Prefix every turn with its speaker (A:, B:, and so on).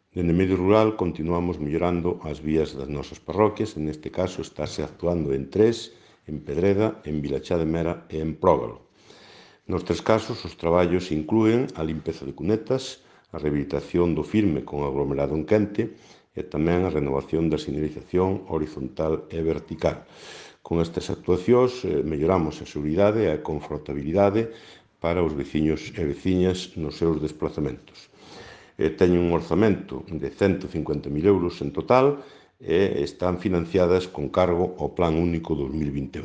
A: Dende Medio Rural continuamos mellorando as vías das nosas parroquias, e neste caso estáse actuando en Tres, en Pedreda, en Vilachá de Mera e en Prógalo. Nos tres casos, os traballos inclúen a limpeza de cunetas, a rehabilitación do firme con aglomerado en quente e tamén a renovación da sinalización horizontal e vertical. Con estas actuacións melloramos a seguridade e a confortabilidade para os veciños e veciñas nos seus desplazamentos. Teñen un orzamento de 150.000 euros en total e están financiadas con cargo ao Plan Único 2021.